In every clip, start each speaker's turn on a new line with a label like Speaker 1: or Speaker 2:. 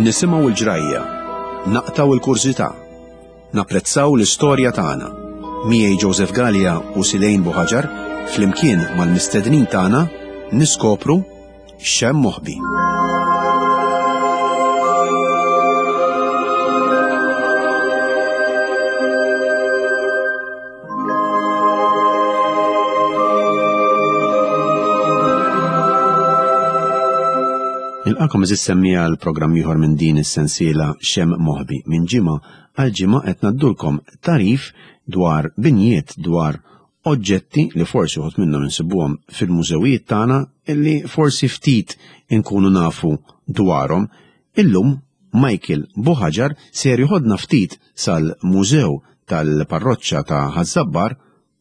Speaker 1: Nisimgħu l-ġrajja, naqtgħu l-kurżità, napprezzaw l-istorja tagħna. Miegħi Joseph Galea u Silejn Buħaġar flimkien mal-mistednin tagħna niskopru x'hemm moħbi. Nilqakom eżis semmija għal programm ieħor minn din is-sensiela Xem Moħbi. Minn ġimgħa għal ġimgħa qed ngħaddulkom tarif dwar binjiet dwar oġġetti li forsi uħud minnhom insibuhom fil-mużewijiet tagħna illi forsi ftit inkunu nafu dwarhom. Illum Michael Buħaġar ser joħodna ftit sal-Mużew tal-Parroċċa ta' Ħaż-Żabbar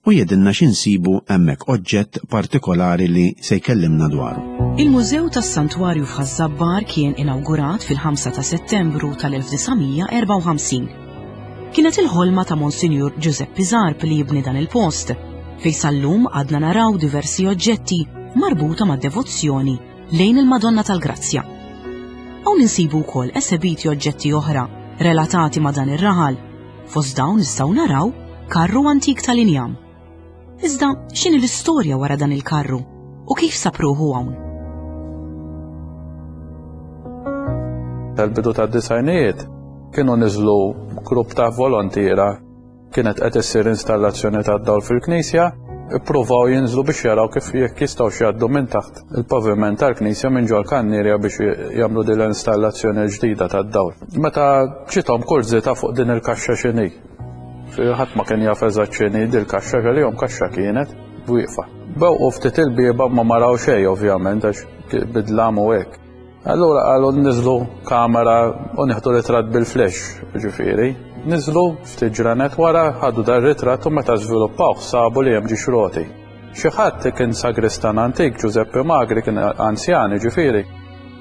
Speaker 1: u jgħidilna xi nsibu hemmhekk oġġett partikolari li se jkellimna dwaru.
Speaker 2: Il-Mużew tas-Santwarju f'Ħaż-Żabbar kien inawgurat fil-5 ta' Settembru tal-1954. Kienet il-ħolma ta' Monsinjur Ġużeppi Zarb li jibni dan il-post, fejn sal-lum għadna naraw diversi oġġetti marbuta mad-devozzjoni lejn il-Madonna tal-Grazzja. Hawn insibu wkoll esebiti oġġetti oħra relatati ma' dan ir-raħal. Fost dawn nistgħu naraw karru antik tal-injam. Iżda x'inhi l-istorja wara dan il-karru u kif sab ruħu hawn?
Speaker 3: Tal-bidu tad-disajnijiet kienu niżlu grupp ta' volontiera Kienet qed issir installazzjoni tad-dawl fil-knisja, ippruvaw jinżlu biex jaraw kif jekk jistgħux jgħaddu minn taħt il-paviment tal-knisja minn ġol-kannierja biex jagħmlu din l-installazzjoni l-ġdida tad-dawl. Meta ġiethom kurżità fuq din il-kaxxa x'inhi. Ħadd ma kien jaf eżatt x'inhi dil-kaxxa għalihom kaxxa kienet wieqfa. Bewqu ftit il-bieba ma ma raw xejn ovvjament għax bidlam u hekk. Allura qalu niżlu kamera u nieħdu ritratt bil-flash, ġifieri. Niżlu ftit ġranet wara ħadu dar ritratt u meta żviluppawh sabu li hemm ġiex roti. Xi ħadd kien sagristan antik, Giuseppe Magri kien anzjan, ġifieri,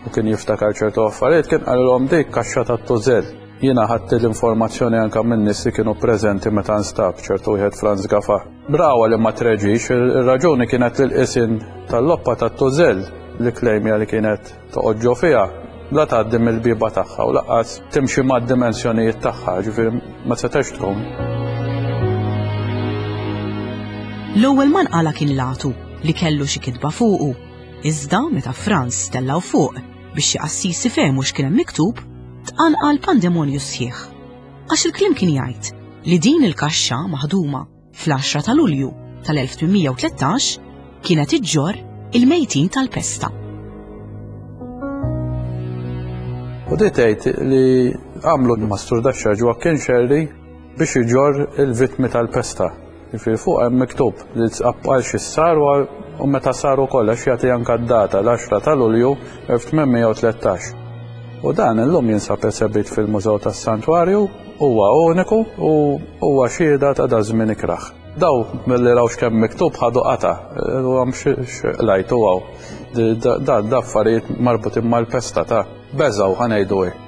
Speaker 3: u kien jiftakar ċertu affarijiet, kien qalilhom dik kaxxa tat-tużell. Jiena ħadt l-informazzjoni anke minn nies li kienu preżenti meta nstab ċertu wieħed Franz Gafa. Brawa li ma treġix, ir-raġuni kienet li l-qisien tal-loppa tat-tużell li klejmja li kienet toqgħod ġo fiha la tgħaddi mill-bieba tagħha u laqqas timxi mad-dimensjonijiet tagħha, ġifieri ma setax tkun.
Speaker 2: L-ewwel ma nqala kien l-għatu li kellu xi kitba fuqu, iżda meta Franz tellgħu fuq biex xi qassis ifehmu x'kien hemm miktub, tqanqal pandemonju sħiħ. Għax il-kliem kien jgħid li din il-kaxxa maħduma fl-10 ta' Lulju tal-1813 kienet iġġorr il-mejtin tal-pesta.
Speaker 3: U di tgħid li għamlu mastru daxxa Joaquin Scerri biex iġorr il-vittmi tal-pesta. Jiġifieri fuq hemm miktub li għal xi sar u meta sar ukoll għax jagħti anke d-data l-10 ta' Lulju 1813. U dan illum jinsab esebit fil-Mużew tas-Santwarju, huwa uniku u huwa xhieda ta' daż-żmien ikrah. Daw milli raw x'kemm miktub ħadu qatgħa, u għam x'qlajtu hawn. Da da affarijiet marbutin mal-pesta ta' beżgħu ħa ngħidu hekk.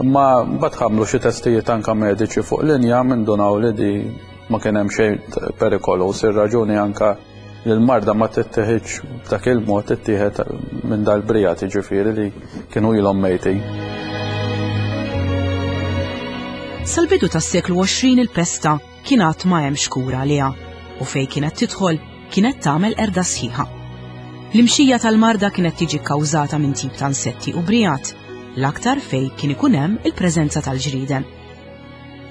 Speaker 3: Imma mbagħad ħamlu xi testijiet anke mediċi fuq l-injam indunaw li di ma kien hemm xejn perikoluż, ir-raġuni anke li l-marda ma tittieħidx b'dak il-mod tittieħed minn dal-brijat jiġifieri li kienu ilhom mejtin.
Speaker 2: Sal-bidu tas-seklu 20 il-pesta kien għad ma hemmx kura għaliha u fejn kienet tidħol kienet tagħmel qerda sħiħa. L-imxija tal-marda kienet tiġi kkawżata minn tip ta' insetti u brijat, l-aktar fejn kien ikun hemm il-preżenza tal-ġrieden.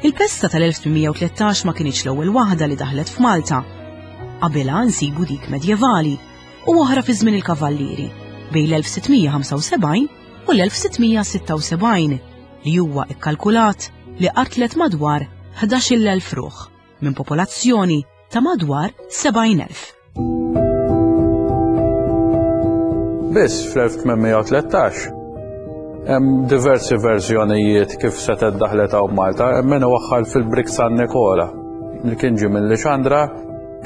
Speaker 2: Il-pesta tal-1813 ma kinitx l-ewwel waħda li daħlet f'Malta. Qabilha nsibu dik medjevali u oħra fi żmien il-Kavallieri bejn l-1675 u l-1676 li huwa ikkalkulat li qatlet madwar 11,000 ruħ minn popolazzjoni ta' madwar 70,000.
Speaker 3: Biss fl-1813 hemm diversi verżjonijiet kif setgħet daħlet hawn Malta, hemm min iwaħħal fil-Brik San Nikola li kien ġie minn Lixandra,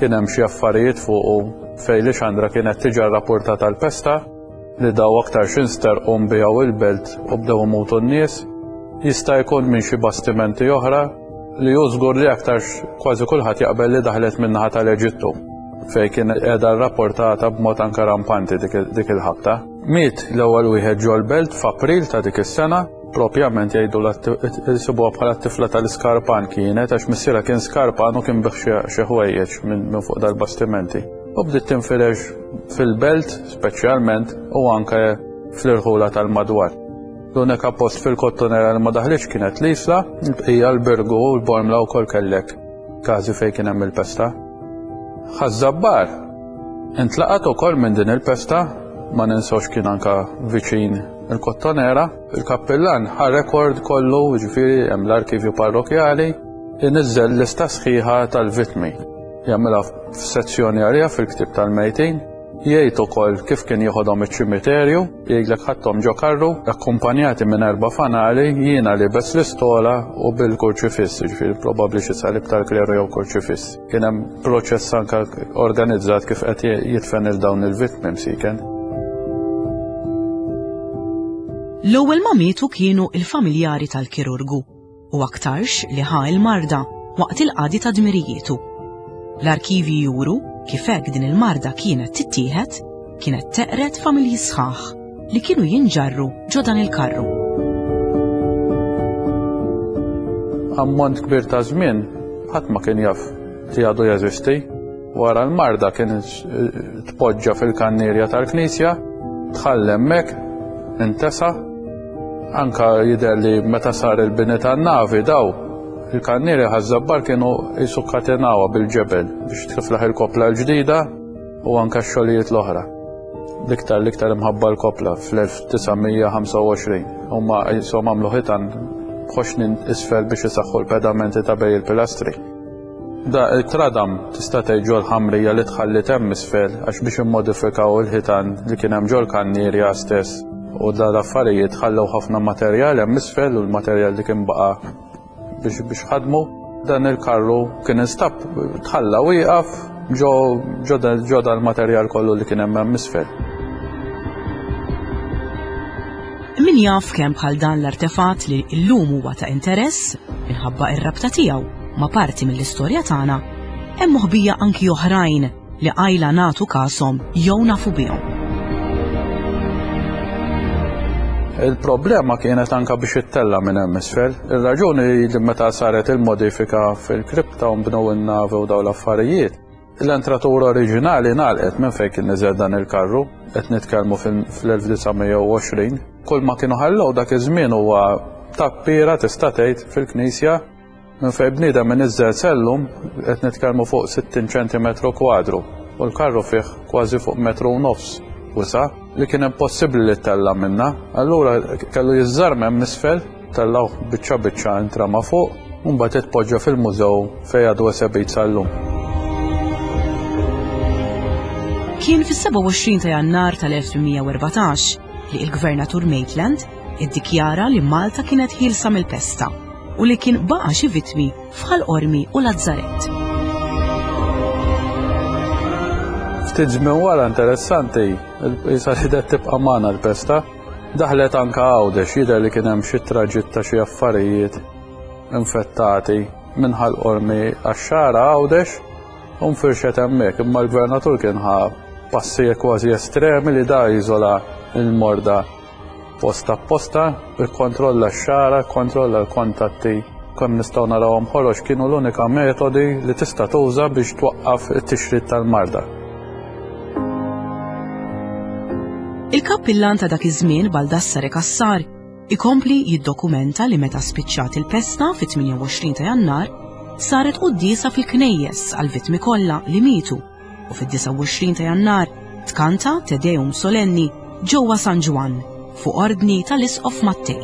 Speaker 3: kien hemm xi affarijiet fuqu fejn Lixandra kienet tiġa rrapportata l-pesta li daw aktar xinsterqu nbiegħu il-belt u bdew imutu n-nies. Jista' jkun minn xi bastimenti oħra li hu żgur li aktarx kważi kulħadd jaqbel li daħlet min-naħa tal-Eġittu fejn kien qiegħda rrapportata b'mod anke rampanti dik il-ħabta. Miet l-ewwel wieħed ġol-belt f'April ta' dik is-sena. Propjament jgħidu jsibuha bħala t-tifla tal-iskarpan kienet għax missierha kien skarpan u kien bih xi ħwejjeġ minn fuq dal-bastimenti. U bdiet tinfirex fil-belt speċjalment u anke fl-irħula tal-madwar. L-unika post fil-Kottonera li ma daħlitx kienet l-Isla, il-bqija l-Birgu u l-Bormla wkoll kellek każi fejn kien hemm il-pesta. Ħaż-Żabbar intlaqat ukoll minn din il-pesta, ma ninsewx kien anka viċin il-Kottonera, il-kappillan ħa rekord kollu, ġifieri hemm l-arkivju parrokjali, iniżżel lista sħiħa tal-vittmi. Jagħmilha f'sezzjoni għaliha fil-ktieb tal-mejtin, jgħid ukoll kif kien jieħodhom iċ-ċimiterju, jgħidlek ħadthom ġo karru, akkumpanjati minn erba' fanali, jiena libes l-istola u bil-kurċifiss, ġifieri probabbli xi salib tal-kleru jew kurċifiss. Kien hemm proċess anke organizzat kif qed jidfen il dawn il-vittmi msiken.
Speaker 2: L-ewwel ma mietu kienu il-familjari tal-kirurgu u aktarx li ħa l-marda waqt il-qadi ta' dmirijietu. L-arkivji juru kif hekk din il-marda kienet tittieħed, kienet teqred familji sħaħ li kienu jinġarru ġo dan il-karru.
Speaker 3: Ammont kbir ta' żmien ħadd ma kien jaf li għadu jeżisti. Wara l-marda kien tpoġġa fil-kannierja tal-knisja, tħall hemmhekk, intesa. Anka jidher li meta sar il-bini tan-navi daw il-kannierja ħaż-żabbar kienu jisu katenawa bil-ġebel biex tiflaħ il-kopla l-ġdida u anka x-xogħlijiet l-oħra. L-iktar l-iktar imħabba l-kopla fl-1925. Huma jisom għamlu ħitan b'ħoxnin isfel biex isaħħu l-pedamenti ta' bej il-pilastri. Da it-tradam tista' tgħid ġol-ħamrija li tħalliet hemm isfel għax biex immodifikaw il-ħitan li kien hemm ġol-kannierja stess u da l-affarijiet ħallew ħafna materjal hemm isfel u l-materjal li kien baqa' biex biex ħadmu. Dan il-karru kien instab tħalla wieqaf ġo ġo dal-materjal kollu li kien hemm hemm isfel.
Speaker 2: Min jaf kemm bħal dan l-artefatt li llum huwa ta' interess minħabba r-rabta tiegħu ma' parti mill-istorja tagħna, hemm moħbija anki oħrajn li qajla nagħtu kashom jew nafu bihom.
Speaker 3: Il-problema kienet anka biex ittella minn hemm isfel. Ir-raġuni li meta saret il-modifika fil-kripta u nbnew in-navi u dawn l-affarijiet, l-entratura oriġinali ngħalqet minn fejn kien niżel dan il-karru, qed nitkellmu fl-1920. Kull ma kienu ħallew dak iż-żmien huwa tappiera tista' tgħid fil-knisja Minn fejn bniedem iniżżel sellum qed nitkellmu fuq 60 ċentimetru kwadru u l-karru fih kważi fuq metru u nofs wisa' li kien impossibbli li ttella' minnha. Allura kellu jiżżarm hemm isfel, tellgħuh biċċa biċċa intrama fuq u mbagħad itpoġġa fil-mużew fejn għadu esebit sal-lum.
Speaker 2: Kien fis-27 ta' Jannar tal-1814 li l-Gvernatur Maitland iddikjara li Malta kienet ħielsa mill-pesta u li kien baqa' xi vittmi f'Ħal Qormi u Lazzarett.
Speaker 3: Ftit żmien wara interessanti, jisa ħidet tibqa' magħna l-pesta, daħlet anka Għawdex jidher li kien hemm xi traġitt ta' xi affarijiet infettati minn Ħal Qormi għax-Xagħra Għawdex u nfirxet hemmhekk, imma l-gvernatur kien ħa passi kważi estremi li da jiżola l-morda Post apposta, ikkontrolla x-xagħra, ikkontrolla l-kontatti. Kemm nistgħu narawhom ħorox kienu l-unika metodi li tista' tuża biex twaqqaf it-tixrid tal-marda.
Speaker 2: Il-kappillan ta' dak iż-żmien Baldassare Cassar ikompli jiddokumenta li meta spiċċat il-pesta fit-28 ta' Jannar saret quddiesa fil-knejjes għall-vittmi kollha li mietu u fid-29 ta' Jannar tkanta Te Deum Solenni ġewwa San Ġwann fuq ordni tal-Isqof Mattei.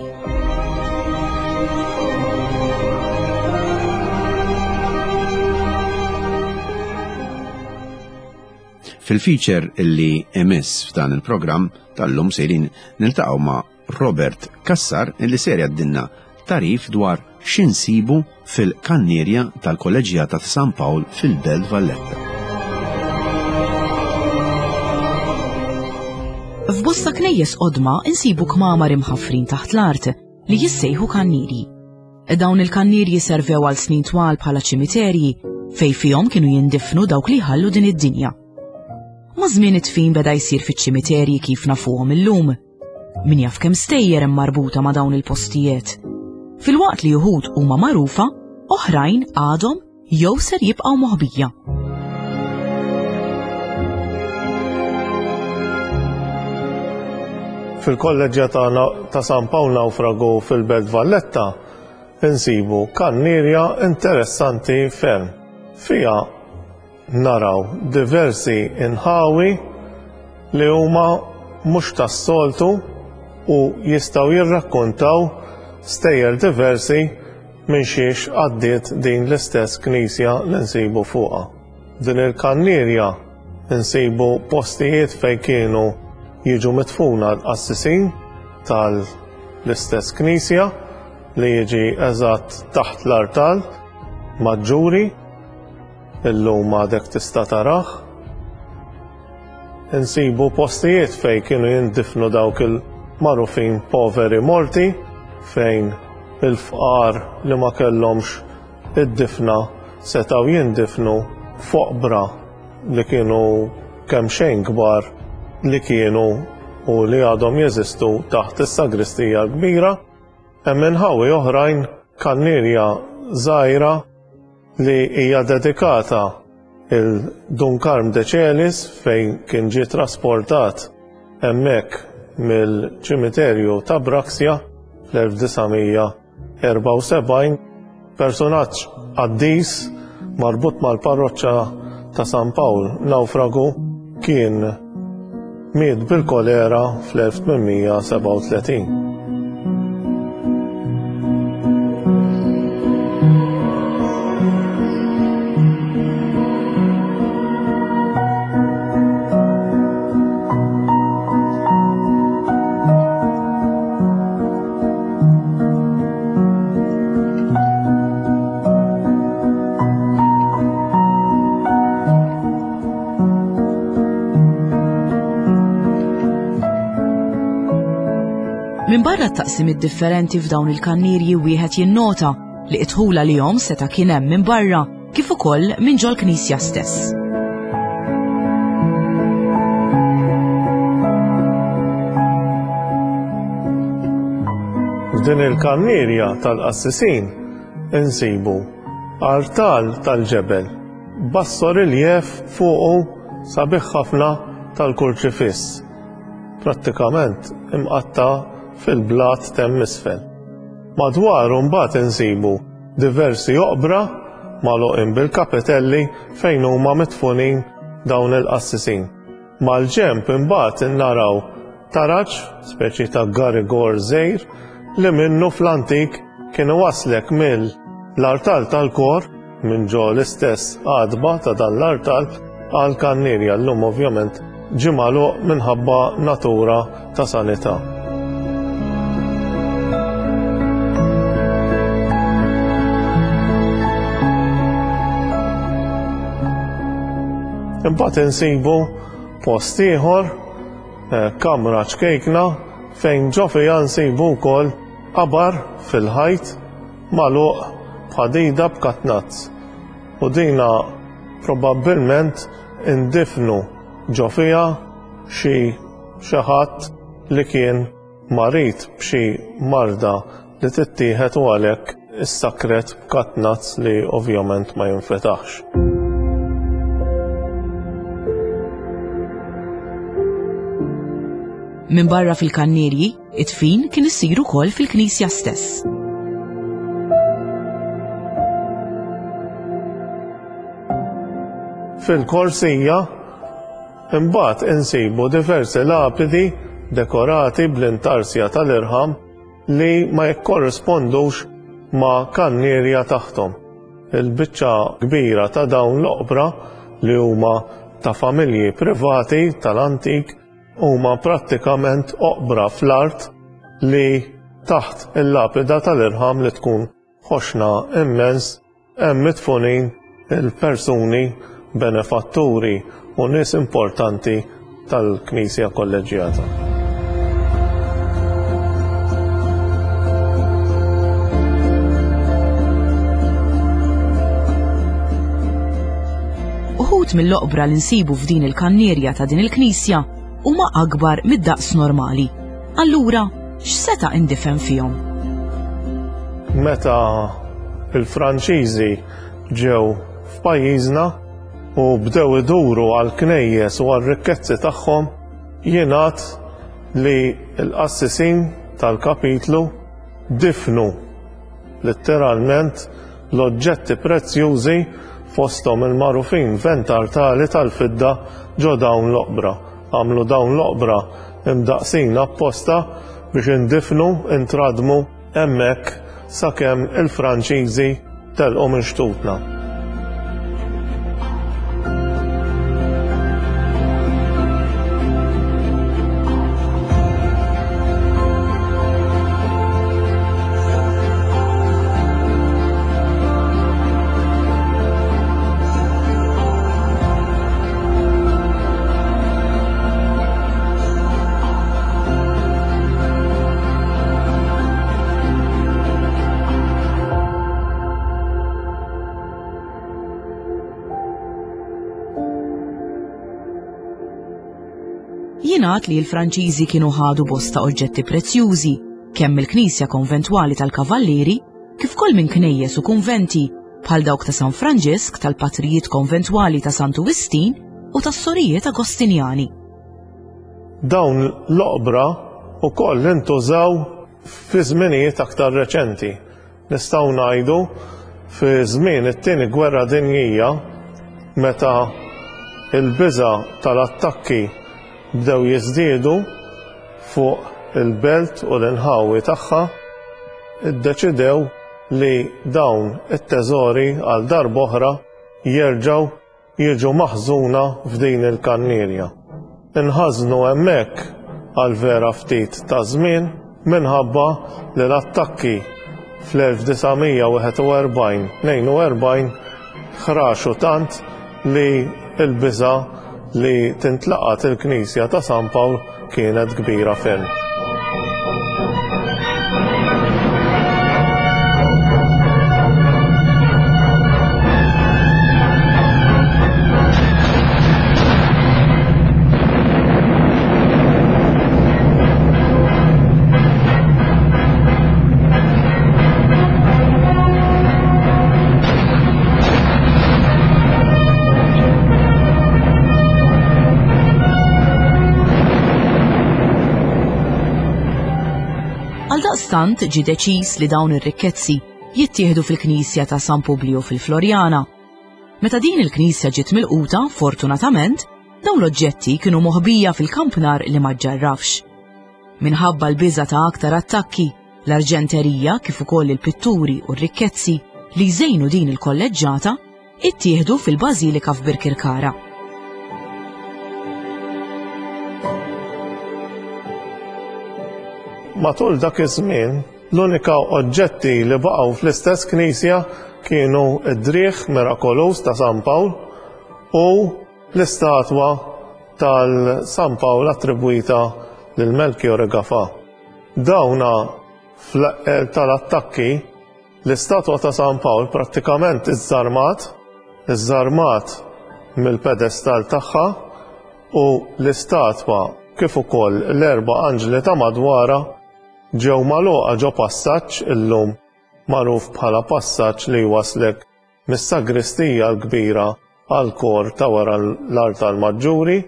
Speaker 1: Fil-feature illi emiss f'dan il-programm tal-lum sejrin niltaqgħu ma' Robert Cassar illi ser jgħaddilna tagħrif dwar x'insibu fil-kannierja tal-Kolleġġjata ta' San Pawl fil-Belt Valletta.
Speaker 2: F'bosta knejjes qodma insibu kmamar imħaffrin taħt l-art li jissejħu kannierji. Dawn il-kannierji servew għal snin twal bħala ċimiterji fejn fihom kienu jindifnu dawk li jħallu din id-dinja. Maż-żmien id-dfin beda jsir fiċ-ċimiterji kif nafuhom illum. Min jaf kemm stejjer hemm marbuta ma' dawn il-postijiet. Filwaqt li uħud huma magħrufa, oħrajn għadhom jew ser jibqgħu moħbija.
Speaker 4: Fil-kolleġġjata ta' San Pawl Nawfragu fil-Belt Valletta insibu kannierja interessanti ferm. Fiha naraw diversi inħawi li huma mhux tas-soltu u jistgħu jirrakkontaw stejjer diversi minn xiex għaddiet din l-istess knisja li nsibu fuqha. Din il-kannierja nsibu postijiet fejn kienu jiġu midfuna l-qassisin tal-istess knisja li jiġi eżatt taħt l-artal maġġuri illum għadek tista' tarah. Insibu postijiet fejn kienu jindifnu dawk il-magħrufin poveri morti fejn il-fqar li ma kellhomx id-difna setgħu jindifnu f'oqbra li kienu kemxejn kbar li kienu u li għadhom jeżistu taħt is-sagristija l-kbira. Hemm inħawi oħrajn kannierja żgħira li hija dedikata il Dun Karm de Celis fejn kien ġie trasportat hemmhekk mill-ċimiterju ta' Braxia fl-1974, personaġġ qaddis marbut mal-parroċċa ta' San Pawl Nawfragu kien miet bil-kolera fl-1837.
Speaker 2: Minbarra t-taqsimiet differenti f'dawn il-kannierji wieħed jinnota li d-dħul għalihom seta' kien hemm minn barra kif ukoll minn ġol-knisja stess.
Speaker 4: F'din il-kannierja tal-qassisin insibu artal tal-ġebel b'bassoriljev fuqu sabiħ ħafna tal-kurċifiss, prattikament imqatta' fil-blat t'hemm isfel. Madwaru mbagħad insibu diversi oqbra magħluqin bil-kapitelli fejn huma midfunin dawn il-qassisin. Mal-ġenb imbagħad naraw taraġ, speċi ta' garigor żgħir, li minnu fl-antik kien iwasslek mill-artal tal-kor, minn ġo l-istess għatba ta' dan l-artal, għall-kannierja. Llum ovvjament ġie magħluq minħabba natura ta' sanità. Imbagħad insibu post ieħor, eh, kamra ċkejkna fejn ġo fiha nsibu wkoll qabar fil-ħajt magħluq b'ħadida b'katnazz. U dina probabbilment indifnu ġo fiha xi xi ħadd li kien marid b'xi marda li tittieħed u għalhekk issakret b'katnazz li ovvjament ma jinfetaħx.
Speaker 2: Minbarra fil-kannierji, id-dfin kien isir ukoll fil-knisja stess.
Speaker 4: Fil-korsija imbagħad insibu diversi lapidi dekorati bl-intarsja tal-irħam li ma jikkorrispondux ma' kannierja taħthom. Il-biċċa kbira ta' dawn l-oqbra li huma ta' familji privati tal-antik huma prattikament oqbra fl-art li taħt il-lapida tal-irħam li tkun ħoxna immens hemm midfunin il-persuni benefatturi u nies importanti tal-Knisja Kolleġġjata.
Speaker 2: Uħud mill-oqbra li nsibu f'din il-kannierja ta' din il-knisja huma akbar mid-daqs normali. Allura, x'seta' indifen fihom?
Speaker 4: Meta il-Franċiżi ġew f'pajjiżna u bdew iduru għall-knejjes u għar-rikkezzi tagħhom, jingħad li l-qassisin tal-kapitlu difnu litteralment l-oġġetti prezzjużi fosthom il-magħrufin ventartali tal-fidda ġo dawn l-oqbra. Għamlu dawn l-oqbra imdaqqsin apposta biex indifnu, intradmu hemmhekk sakemm il-Franċiżi telqu minn xtutna.
Speaker 2: Jingħad li l-Franċiżi kienu ħadu bosta oġġetti prezzjużi, kemm mill-knisja konventwali tal-Kavallieri, kif ukoll minn knejjes u kunventi bħal dawk ta' San Franġisk, tal-patrijiet konventwali ta' Santu Wistin u tas-sorijiet Agostinjani.
Speaker 4: Dawn l-oqbra wkoll intużaw fi żminijiet aktar reċenti. Nistgħu ngħidu fi żmien it-Tieni Gwerra Dinjija meta l-biża' tal-attakki bdew jiżdiedu fuq il-belt u l-inħawi tagħha, iddeċidew li dawn it-teżori għal darb'oħra jerġgħu jiġu maħżuna f'din il-kannierja. Inħażnu hemmhekk għal vera ftit ta' żmien minħabba li l-attakki fl-1941, 42 ħraxu tant li l-biża' li tintlaqat il-knisja ta' San Pawl kienet kbira ferm.
Speaker 2: Għaldaqstant ġie deċiż li dawn ir-rikkezzi jittieħdu fil-knisja ta' San Publio fil-Floriana. Meta din il-knisja ġiet milquta, fortunatament, dawn l-oġġetti kienu moħbija fil-kampnar li ma ġġarrafx. Minħabba l-biża' ta' aktar attakki, l-arġenterija kif ukoll il-pitturi u r-rikkezzi li jżejnu din il-kolleġġata ittieħdu fil-Bażilika f'Birkirkara.
Speaker 4: Matul dak iż-żmien, l-unika oġġetti li baqgħu fl-istess knisja kienu d-driegħ mirakoluż ta' San Pawl u l-istatwa tal-San Pawl attribwita lil Melchiorre Gafà. Dawna fl-eqqel tal-attakki, l-istatwa ta' San Pawl prattikament iżżarmat, iżżarmat mill-pedestall tagħha u l-istatwa kif ukoll l-erba' anġli ta' madwarha ġew magħluqa ġo passaġġ illum magħruf bħala passaġġ li jwasslek mis-sagristija l-kbira għall-kor ta' wara l-artal maġġuri.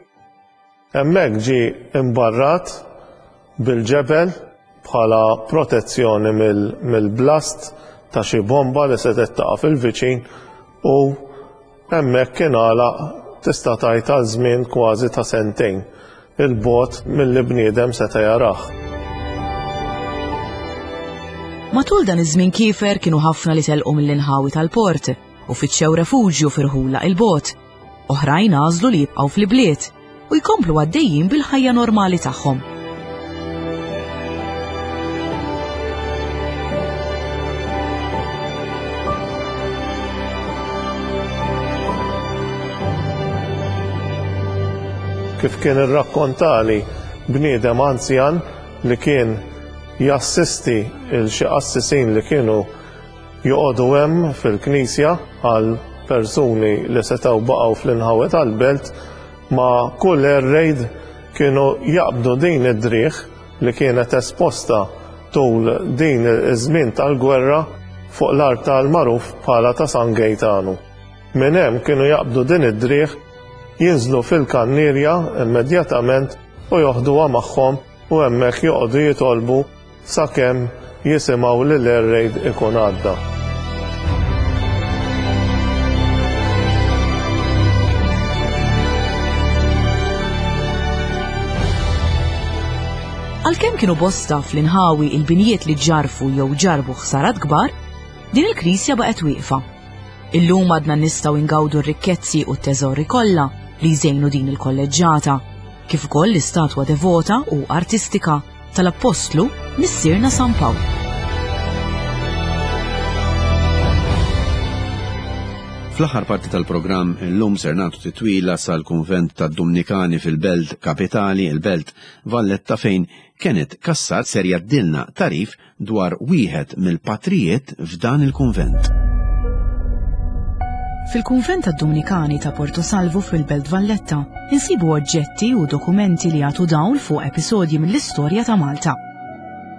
Speaker 4: Hemmhekk ġie imbarrat bil-ġebel bħala protezzjoni mill-blast ta' xi bomba li setgħet taqa' fil-viċin u hemmhekk ingħalaq tista' tgħid għal żmien kważi ta' sentejn 'il bogħod milli bniedem seta' jarah.
Speaker 2: Matul dan iż-żmien kiefer kienu ħafna li telqu mill-inħawi tal-port u fittxew refuġju fi rħula 'il bogħod. Oħrajn għażlu li jibqgħu fl-ibliet u jkomplu għaddejjin bil-ħajja normali tagħhom.
Speaker 4: Kif kien irrakkontali bniedem anzjan li kien jassisti il xi qassisin li kienu joqogħdu hemm fil-knisja għal persuni li setgħu baqgħu fl-inħawi tal-belt ma' kull air raid kienu jaqbdu din id-driegħ. li kienet esposta tul din iż-żmien tal-gwerra fuq l-artal magħruf bħala ta' San Gejtanu. Minn hemm kienu jaqbdu din id-driegħ, jinżlu fil-kannierja immedjatament u joħduha magħhom u hemmhekk joqogħdu jitolbu sakemm jisimgħu li l-air raid ikun għadda.
Speaker 2: Għalkemm kienu bosta fl-inħawi il-binjiet li ġarfu jew ġarbu ħsarat kbar, din il-knisja baqgħet wieqfa. Illum għadna nistgħu ingawdu r-rikkezzi u t-teżori kollha li jżejnu din il-kolleġġata, kif ukoll l-istatwa devota u artistika tal-Appostlu Missierna San Pawl.
Speaker 1: Fl-aħħar parti tal-programm illum ser nagħtu titwila sal-kunvent tad-Dumnikani fil-belt kapitali, il-belt Valletta fejn Kenneth Cassar ser jgħaddilna tagħrif dwar wieħed mill-patrijiet f'dan il-kunvent.
Speaker 2: Fil-kunvent tad-Dumnikani ta' Porto Salvo fil-Belt Valletta, insibu oġġetti u dokumenti li jagħtu dawl fuq episodji mill-istorja ta' Malta.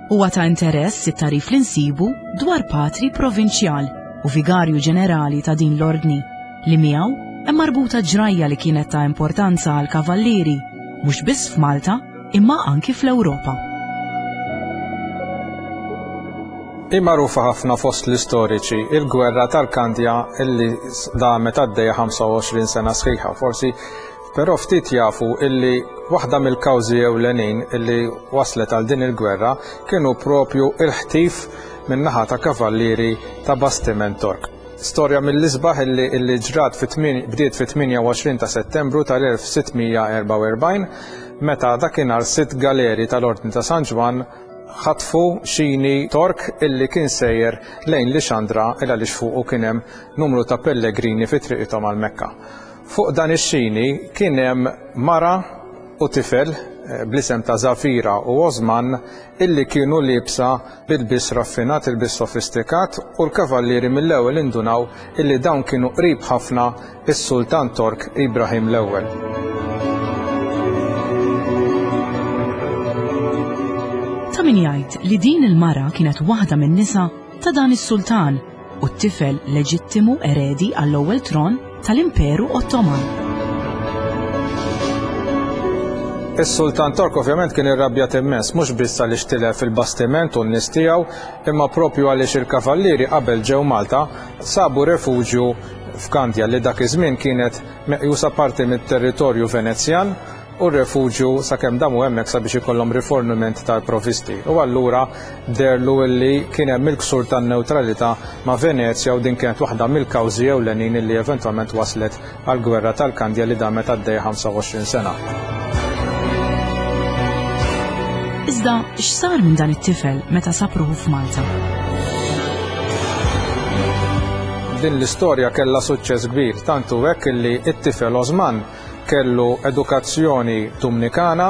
Speaker 2: Huwa ta' interess it-tagħrif li nsibu dwar patri provinċjal u vigarju ġenerali ta' din l-ordni, li miegħu hemm marbuta ġrajja li kienet ta' importanza għall-kavallieri, mhux biss f'Malta, imma anki fl-Ewropa.
Speaker 3: Hi magħrufa ħafna fost l-istoriċi il-gwerra tal-Kandja illi damet għaddejja 25 sena sħiħa. Forsi però ftit jafu illi waħda mill-kawżi ewlenin illi waslet għal din il-gwerra kienu propju il-ħtif min-naħa ta' kavallieri ta' bastiment Tork. Storja mill-isbaħ illi illi ġrat fit bdiet fit-28 ta' Settembru tal-1644 meta dakinhar sitt galeri tal-Ordni ta' San Ġwann ħatfu xini Tork illi kien sejjer lejn Lixandra il għaliex fuqu kien hemm numru ta' pellegrini fi triqithom għal Mekka. Fuq dan ix-xini kien hemm mara u tifel eh, bl-isem ta' Zafira u Osman illi kienu liebsa b'ilbies raffinat, ilbies sofistikat, u l-kavallieri mill-ewwel indunaw illi dawn kienu qrib ħafna is-Sultan Tork Ibrahim l-Ewwel.
Speaker 2: Ta' min jgħid li din il-mara kienet waħda min-nisa ta' dan is-sultan u t-tifel leġittimu eredi għall-ewwel tron tal-Imperu Ottoman.
Speaker 3: Is-Sultan Tork ovvjament kien irrabjat immens, mhux biss għaliex tilef il-bastiment u n-nies tiegħu, imma propju għaliex il-kavallieri qabel ġew Malta sabu refuġju f'Kandja li dak iż-żmien kienet meqjusa parti mit-territorju Venezjan u r-refuġju sakemm damu hemmhekk sabiex ikollhom riforniment tal-provvisti. U allura deherlu illi kien hemm il-ksur tan-newtralità ma' Venezja u din kienet waħda mill-kawżi ewlenin illi eventwalment waslet għall-Gwerra tal-Kandja li damet għaddejja 25 sena.
Speaker 2: Iżda x'sar minn dan it-tifel meta sab ruħu f'Malta?
Speaker 3: Din l-istorja kellha suċċess kbir, tant hu hekk illi t-tifel Osman Kellu edukazzjoni Dumnikana,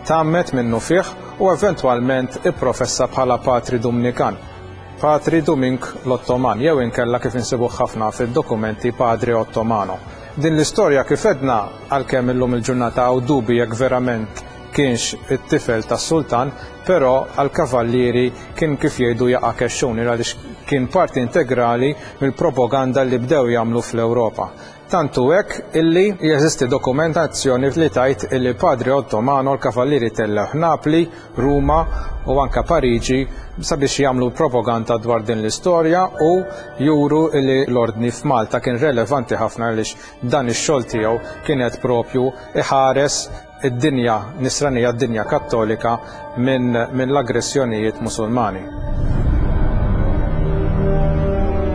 Speaker 3: tgħammed minnufih u eventwalment ipprofessa bħala patri Dumnikan, Patri Dumink l-Ottoman jew inkella kif insibuh ħafna fid-dokumenti Padre Ottomano. Din l-istorja kif għedna, għalkemm illum il-ġurnata hawn dubi jekk verament kienx it-tifel tas-sultan, però għall-kavallieri kien kif jgħidu jaqa' kexxun għaliex kien parti integrali mill-propaganda li bdew jagħmlu fl-Ewropa. Tant hu hekk illi jeżisti dokumentazzjoni li tgħid illi Padre Ottomano l-kavallieri tellgħuh Napli, Ruma u anke Pariġi sabiex jagħmlu propaganda dwar din l-istorja u juru illi l-Ordni f'Malta kien relevanti ħafna għaliex dan ix-xogħol tiegħu kien qed propju iħares id-dinja Nisranija, d-dinja Kattolika minn min l-aggressjonijiet Musulmani.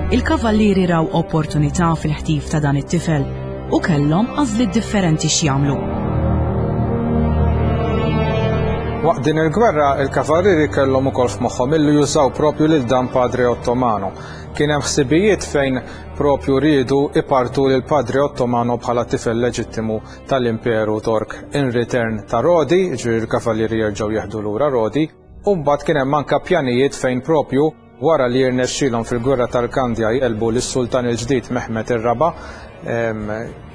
Speaker 2: Il-kavallieri raw opportunità fil-ħtif ta' dan it-tifel u kellhom għażliet differenti x'jagħmlu.
Speaker 3: Waqt din il-gwerra, il-kavallieri kellhom ukoll f'moħħhom illi jużaw propju lil dan Padre Ottomano. Kien hemm ħsibijiet fejn propju riedu ipartu lil Padre Ottomano bħala tifel leġittimu tal-Imperu Tork in return ta' Rodi, jiġifieri l-kavallieri jerġgħu jieħdu lura Rodi, u mbagħad kien hemm anke pjanijiet fejn propju Wara li jirnexxielhom fil-Gwerra tal-Kandja jegħlbu lis-Sultan il-ġdid Mehmed ir-Raba',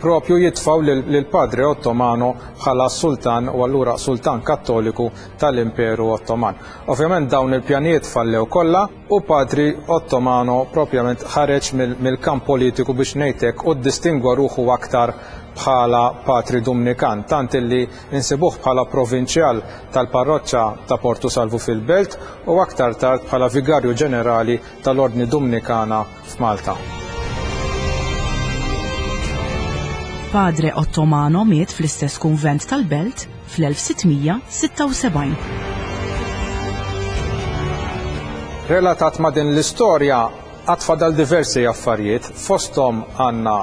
Speaker 3: propju jitfgħu lil Padre Ottomano bħala s-sultan u allura sultan Kattoliku tal-Imperu Ottoman. Ovvjament dawn il-pjanijiet fallew kollha u Padri Ottomano propjament ħareġ mill-kamp politiku biex ngħid hekk u ddistingwa ruħu aktar bħala patri Dumnikan, tant illi insibuh bħala provinċjal tal-parroċċa ta' Portu Salvu fil-Belt u aktar tard bħala vigarju ġenerali tal-Ordni Dumnikana f'Malta.
Speaker 2: Padre Ottomano miet fl-istess kunvent tal-Belt fl-1676.
Speaker 3: Relatat ma' din l-istorja għad fadal diversi affarijiet, fosthom għandna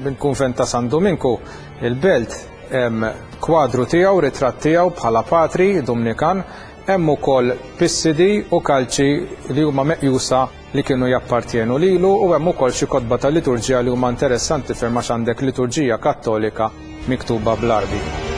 Speaker 3: mill-kunvent ta' San Duminku, il-Belt, hemm kwadru tiegħu, ritratt tiegħu bħala patri Dumnikan, hemm ukoll pissidi u kalċi li huma meqjusa li kienu jappartjenu lilu u hemm ukoll xi kotba ta' liturġija li huma interessanti ferm għax għandek liturġija Kattolika miktuba bl-Għarbi.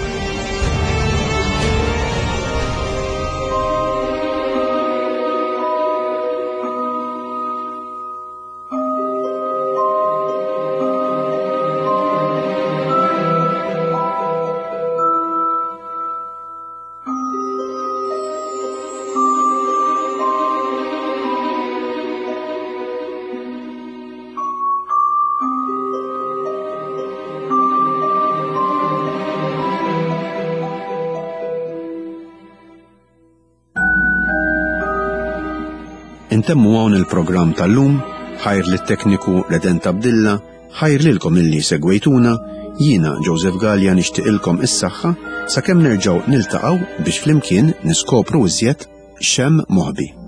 Speaker 1: Intemmu hawn il-programm tal-lum, ħajr lit-tekniku Redent Abdilla, ħajr lilkom illi segwejtuna, jiena Joseph Gallia nixtieqilkom is-saħħa sakemm nerġgħu niltaqgħu biex flimkien niskopru iżjed x'hemm moħbi.